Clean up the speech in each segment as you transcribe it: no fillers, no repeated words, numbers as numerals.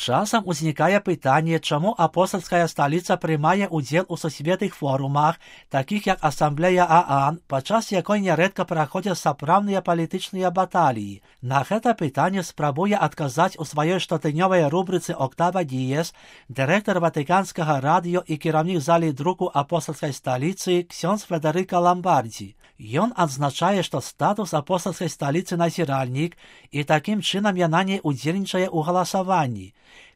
Часам узнікае пытанне, чаму апостальская сталіца прымае ўдзел у сусветных форумах, такіх як Асамблея ААН, падчас якой нярэдка праходзяць сапраўдныя палітычныя баталіі. На гэта пытанне спрабуе адказаць у сваёй штотыднёвай рубрыцы «Октава Діес» дырэктар Ватыканскага радыё і кіраўнік залі друку апостальскай сталіцы ксёндз Федэрыка Ламбардзі. Ён адзначае, што статус апостальскай сталіцы назіральнік, і такім чынам яна не ўдзельнічае ў галасаванні.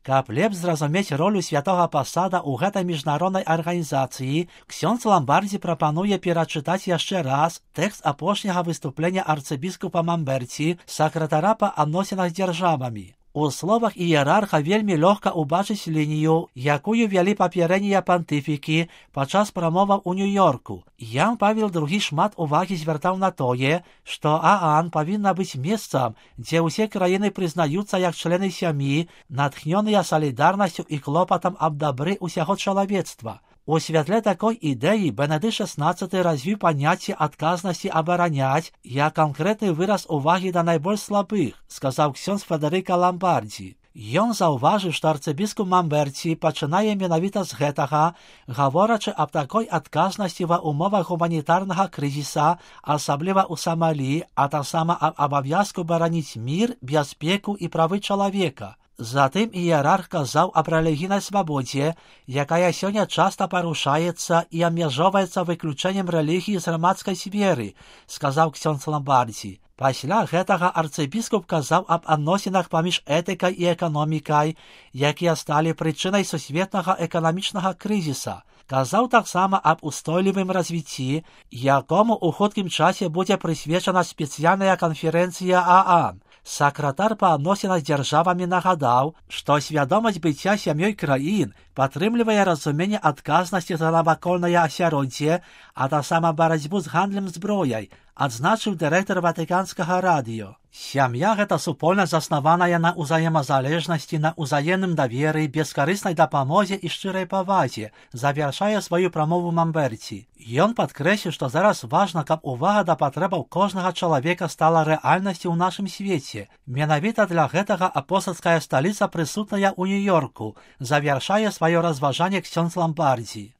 Каб лепш зразумець ролю святога пасада ў гэтай міжнароднай арганізацыі, ксёндз Ламбардзі прапануе перачытаць яшчэ раз тэкст апошняга выступлення арцыбіскупа Мамберці, сакратара па адносінах з дзяржавамі. У словах іерарха вельмі лёгка ўбачыць лінію, якую вялі папярэднія пантыфікі падчас прамоваў у Нью-Йорку. Ян Павел II шмат увагі звяртаў на тое, што ААН павінна быць месцам, дзе ўсе краіны прызнаюцца як члены сям'і, натхнёныя салідарнасцю і клопатам аб дабры ўсяго чалавецтва. У святле такой ідэі Бенедыкт XVI развіў паняцце адказнасці абараняць як канкрэтны выраз увагі да найбольш слабых, сказаў ксёндз Федэрыка Ламбардзі. Ён заўважыў, што арцыбіскуп Мамберці пачынае менавіта з гэтага, гаворачы аб такой адказнасці ва ўмовах гуманітарнага крызіса, асабліва ў Самалі, а таксама аб абавязку бараніць мір, бяспеку і правы чалавека. Затым іерарх казаў аб рэлігійнай свабодзе, якая сёння часта парушаецца і абмяжоўваецца выключэннем рэлігіі з грамадскай сферы, сказаў ксёндз Ламбардзі. Пасля гэтага арцыбіскуп казаў аб адносінах паміж этыкай і эканомікай, якія сталі прычынай сусветнага эканамічнага крызіса. Казаў таксама аб устойлівым развіцці, якому ў хуткім часе будзе прысвечана спецыяльная канферэнцыя ААН. Сакратар па адносінах з дзяржавамі нагадаў, што свядомасць быцця сям'ёй краін падтрымлівае разуменне адказнасці за навакольнае асяроддзе, а таксама барацьбу з гандлем зброяй, адзначыў дырэктар Ватыканскага радыё. Сям'я гэта супольнасць, заснаваная на ўзаемазалежнасці, на ўзаемным даверы, бескарыснай дапамозе і шчырай павазе, завяршае сваю прамову Мамберці. Ён падкрэсліў, што зараз важна, каб увага да патрэбаў кожнага чалавека стала рэальнасцю ў нашым свеце. Менавіта для гэтага апостальская сталіца прысутная ў Нью-Йорку, завяршае сваё разважанне ксёндз Ламбардзі.